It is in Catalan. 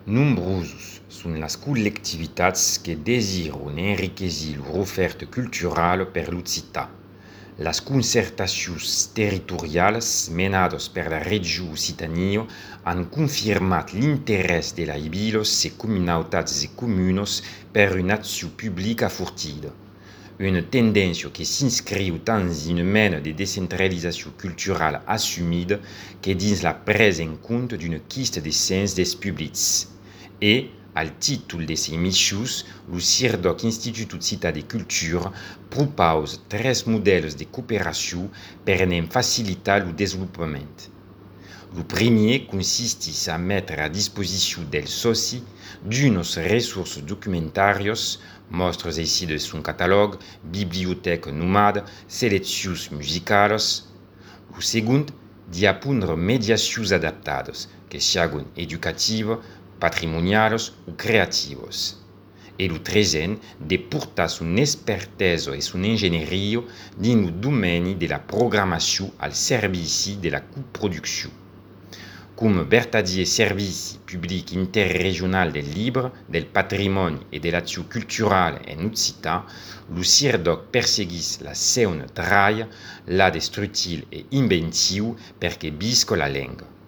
Nombrosos sunt las collectivitats que desiron enriquesir l'oferta culturale per l'Occità. Las concertacions territorials menadas per la regió Occitania han confirmat l'interès de les viles e comunitats e comunes per una acció publica fortida. Una tendència que s'inscriu tant dins una mena de descentralització culturale assumida que dins la presa en compte d'una quista de sens des publics. E, al títol de ses missions, lo CIRDOC Institut Occità de Cultura propose 3 modelos de cooperació per en facilitar lo desenvolupament. Lo primer consistís a mettre à disposició dels socis d'unes ressources documentàries, mostres així de son catalog, biblioteca nomade, seleccions musicales. Lo segon, de apondre mediacions adaptades, que sigan educativas, patrimoniales ou creativas. E lo terzen, de portar son expertesa e son engenharia dins lo domeni de la programació al servici de la coproducció. Come vertadier servici public interregional del libre, del patrimoni e de l'acció culturale en Occità, lo CIRDOC perseguís la seua traia, la destructil e inventiu perché bisca la lenga.